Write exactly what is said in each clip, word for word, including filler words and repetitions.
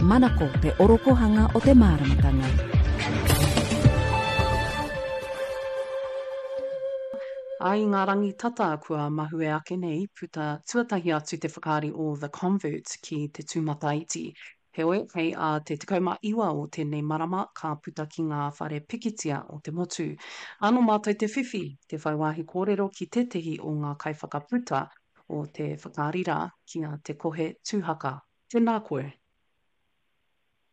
Manako te orokohanga o te māramatanga. Ā, i ngā rangi tata kua mahue ake nei, puta tuatahi atu te whakaari o The Convert ki te tūmataiti. Heoi, hei ā te tekau mā iwa o tēnei marama ka puta ki ngā whare pikitia o te motu. Ā, nō mātou te whiwhi, te whai wāhi kōrero ki tētehi o ngā kaiwhakaputa o te whakaari rā, ki a Te Kohe Tūhaka. Tēnā koe.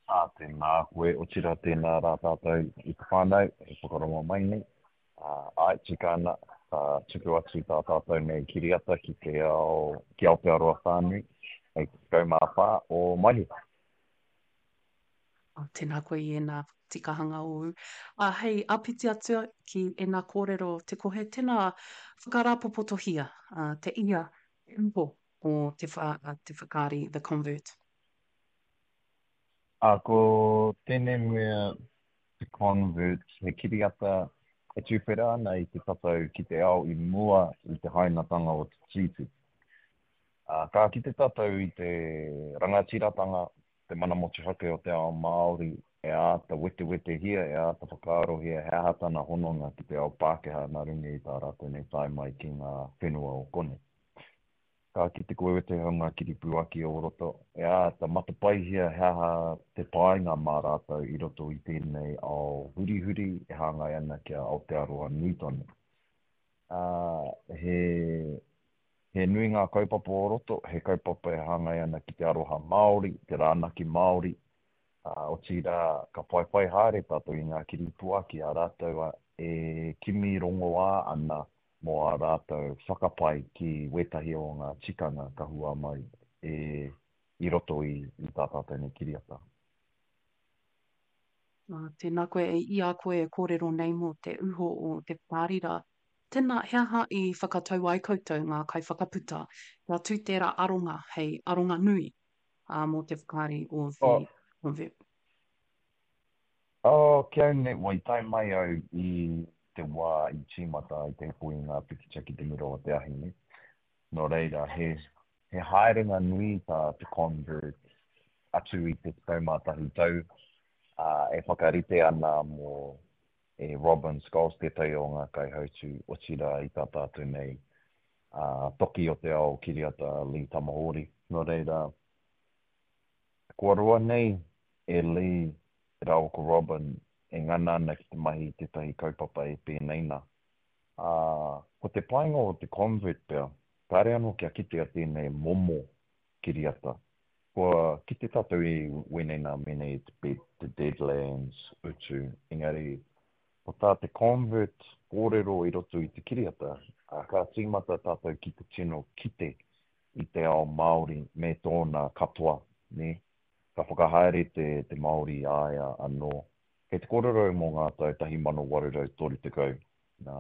Ā, tēnā koe, otirā tēnā rā tātou i te whānau e whakarongo mai nei. Ā, āe, tika ana, ka tuku atu tā tātou nei kiriata ki te ao, ki Aotearoa whānui, hei te tekau mā whā o Maehe. Ā, tēnā koe i ēnā tikahanga ōu. Ā, hei āpiti atu ki ēnā kōrero Te Kohe, tēnā whakarāpopotohia te ia, te uho o te, te whakaari The Convert. Ā, ko tēnei mea te Convert, he kiriata e tuwhera ana i te tatau ki te ao i mua i te hainatanga o te Tiriti. Ā, ka kite tātou i te rangatiratanga, te mana motuhake o te ao Māori e āta wetewetehia, e āta whakaarohia he aha tana hononga ki te ao Pākehā nā runga i tā rātou nei tae mai ki ngā whenua o konei. Ka kite koe wētahi o ngā kiripuaki o roto, e āta matapaihia he aha te painga mā rātou i roto i tēnei ao hurihuri e hāngai ana ki a Aotearoa nui tonu. Ā, he, he nui ngā kaupapa o roto, he kaupapa e hāngai ana ki te aroha Māori, te rānaki Māori, ā, otirā, ka whaiwhai haere tātou i ngā kiripuaki a rātou e kimi rongoā ana mō ā rātou whakapae ki wētahi o ngā tikanga ka hua mai e i roto i i tā tātou nei kiriata. Nā, tēnā koe e i a koe e kōrero nei mō te uho o te whakaari rā. Tēnā, he aha i whakatau ai koutou ngā kaiwhakaputa kia tū tērā aronga hei aronga nui ā, mō te whakaari o The Oh, Convert? oh, ki au nei, wai tae mai au i te wā i tīmata ai te hiko i ngā pikitia ki te mura o te ahi nei. Nō reira, he, he haerenga nui tā te Convert atu i te tekau mā tahi tau, ā, e whakarite ana mō e Robin Scholes tētahi o ngā kaihautū, otirā i tā tātou nei ā, toki o te ao kiriata Lee Tamahori. Nō reira, kua roa nei e Lee rāua ko Robin e ngana ana ki te mahi i tētahi kaupapa e pēnei nā. Ā, ko te painga o te Convert pea, kāre anō kia kitea tēnei momo kiriata. Kua kite tātou i wēnei nā mēnei i te, te Deadlands, utu, engari ko tā te Convert kōrero i roto i te kiriata, ā, ka tīmata tātou ki te tino kite i te ao Māori me tōna katoa, nē? Ka whakahaere te, te Māori i a ia anō. Kei te kōrero au mō ngā tau tahi mano waru rau toru tekau, nā,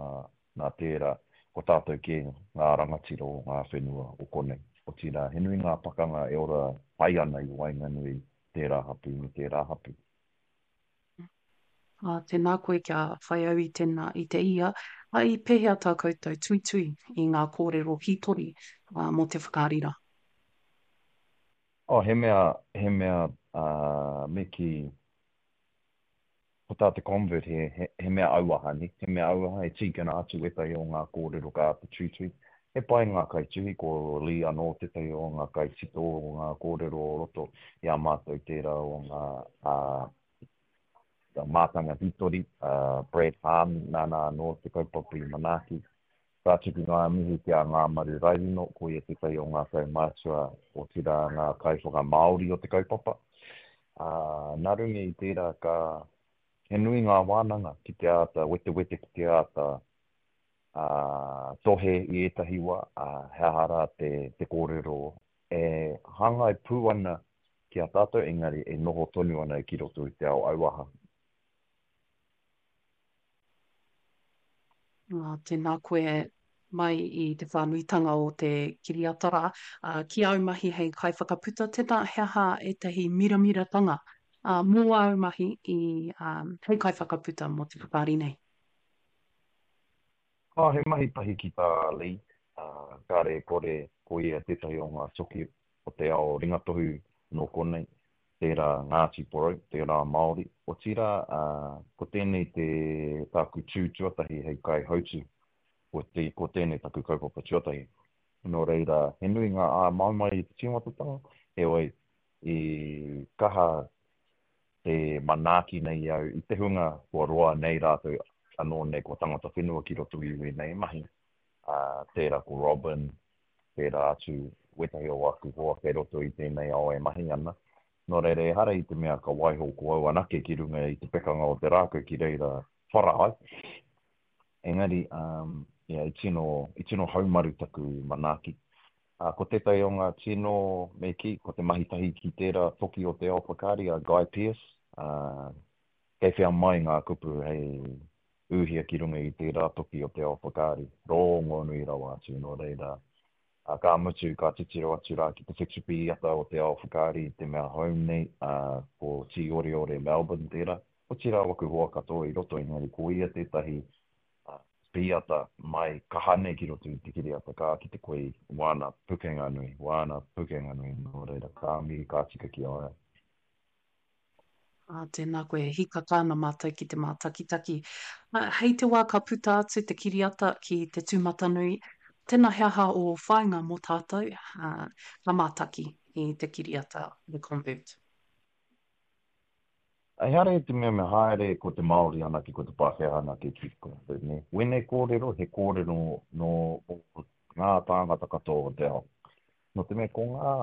nā tērā, ko tātou kē ngā rangatira o ngā whenua o konei. Otirā, he nui ngā pakanga e ora pai ana i waenganui tērā hapū me tērā hapū. Ā, tēnā koe kia whai au i tēnā, i te ia, ā, i pēhea tā koutou tuitui i ngā kōrero hītori, ā, mō te whakaari rā? Oh, he mea, he mea, ā, me kī, ko tā te Convert he, he, he mea auaha, nē? He mea auaha, e tīkina atu ētahi o ngā kōrero ka āta tuitui. He pai ngā kaituhi, ko Lee anō tētahi o ngā kaitito o ngā kōrero o roto i a mātou tērā o ngā, ā, mātanga hītori, ā, Brad Hahn, nāna anō te kaupapa i manaaki. Ka tuku ngā mihi ki a Ngāmaru Raerino, ko ia tētahi o ngā kaumātua, otirā ngā kaiwhakamāori o te kaupapa. Ā, nā runga i tērā ka, he nui ngā wānanga ki te āta wetewete, ki te āta, ā, tohe i ētahi wā, ā, he aha rā te, te kōrero e hāngai pū ana ki a tātou, engari e noho tonu ana ki roto i te ao auaha. Ā, tēnā koe mai i te whānuitanga o te kiriata rā. Ā, ki āu mahi hei kaiwhakaputa, tēnā he aha ētahi miramiratanga, ā, mō āu mahi i, ā, hei kaiwhakaputa mō te whakaari nei? Ā, he mahi tahi ki tā Lee, ā, kāre e kore ko ia tētahi o ngā toki o te ao ringatohu nō konei. tērā Ngāti Porou, tērā Māori. Otirā, ko tēnei te tāku tū tuatahi hei kaihautū, ko, te, ko tēnei taku kaupapa tuatahi. Nō reira, he nui ngā āmaimai i te tīmatatanga, heoi, i kaha te manaaki nei au i te hunga kua roa nei rātou anō nei kua tangata whenua ki roto i wēnei mahi. Uh, tērā ko Robin, tērā atu wētahi o aku hoa kei roto i tēnei ao e mahi ana. Nō reira, ehara i te mea ka waiho ko au anake ki runga i te pekanga o te rākau ki reira whara ai. Engari, um, yeah, i tino, i tino haumaru taku manaaki. Uh, ko tētahi o ngā tino me kī, ko te mahi tahi ki tērā toki o te ao whakaari a Guy Pearce. Uh, kei whea mai ngā kupu hei uhia ki runga i tērā toki o te ao whakaari. Rōngonui rawa atu, nō reira. Uh, ka mutu, ka titiro atu rā ki te whetupīata o te ao whakaari i te mea hou nei, uh, ko Tīoreore Melbourne tērā. Otirā waku hoa katoa i roto, engari ko ia tētahi uh, pīata mai kaha nei ki roto i te kiriata, ka ki te koe wāna pukenga nui, wāna pukenga nui, nō reira, ka mihi, ka tika ki a ia. Ā, tēnā koe, e hīkaka ana mātou ki te mātakitaki. Ā, hei te wā ka puta atu te kiriata ki te tūmatanui, tēnā he aha ō whāinga mō tātou, ā, ka mātaki i te kiriata The Convert? Ehara i te mea me haere ko te Māori anake, ko te Pākehā anake ki te Convert, nē. Wēnei kōrero, he kōrero nō ngā tāngata katoa o te ao. Nō te mea ko ngā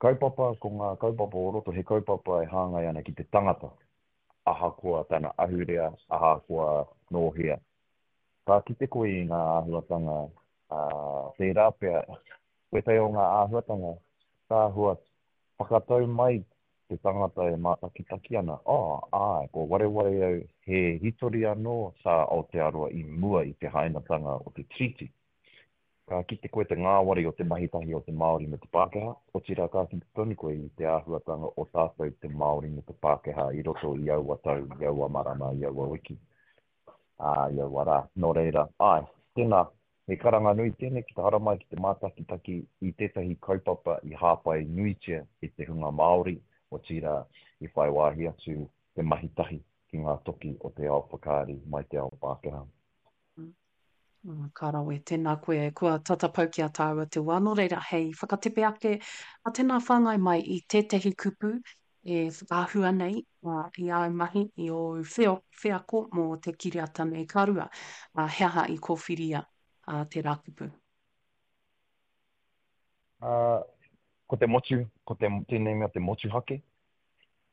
kaupapa, ko ngā kaupapa o roto, he kaupapa e hāngai ana ki te tangata, ahakoa tana ahurea, ahakoa nō hea. Ka kite koe i ngā āhuatanga, uh, tērā pea, wētahi o ngā āhuatanga, ka āhua whakatau mai te tangata e mātakitaki ana, oh, āe, kua wareware au, he hitori anō tā Aotearoa i mua i te hainatanga o te Tiriti. Ka kite koe te ngāwari o te mahi tahi o te Māori me te Pākehā, otirā ka kite tonu koe i te āhuatanga o tātou te Māori me te Pākehā i roto i aua tau, i aua marama, i aua wiki, ā, i aua rā. Nō reira, āe, tēnā, he karanga nui tēnei ki te haramai ki te mātakitaki i tētahi kaupapa i hāpai nuitia e te hunga Māori, otirā i whai wāhi atu te mahi tahi ki ngā toki o te ao whakaari mai te ao Pākehā. Ka rawe, tēnā koe, kua tata pau ki a tāua te wā. Nō reira, hei whakatepe ake, a tēnā whāngai mai i tētahi kupu e whakaahua nei i āu mahi, i ōu wheo, wheako mō te kiriata nei. Ka rua, he aha i kōwhiria tērā kupu? Uh, ko te motu, ko te, tēnei mea te motuhake.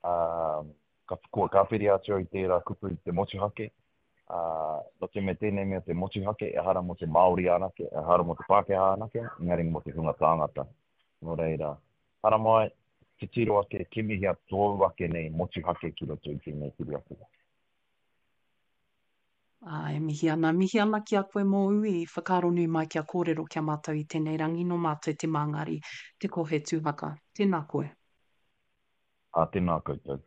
Uh, ka, kua kāwhiri atu au i tērā kupu te motuhake. Uh, nō te mea tēnei mea te motuhake, ehara mō te Māori anake, ehara mō te Pākehā anake, engari mō te hunga tāngata. Nō reira, haramai, titiro ake, kimihia tōu ake nei motuhake ki roto i tēnei kiriata. Ā, e mihi ana, mihi ana ki a koe mō ui, whakaaro nui mai kia kōrero kia mātou i tēnei rangi nō mātou te māngari, te kohe tūhaka. Tēnā koe. Ā, tēnā koutou.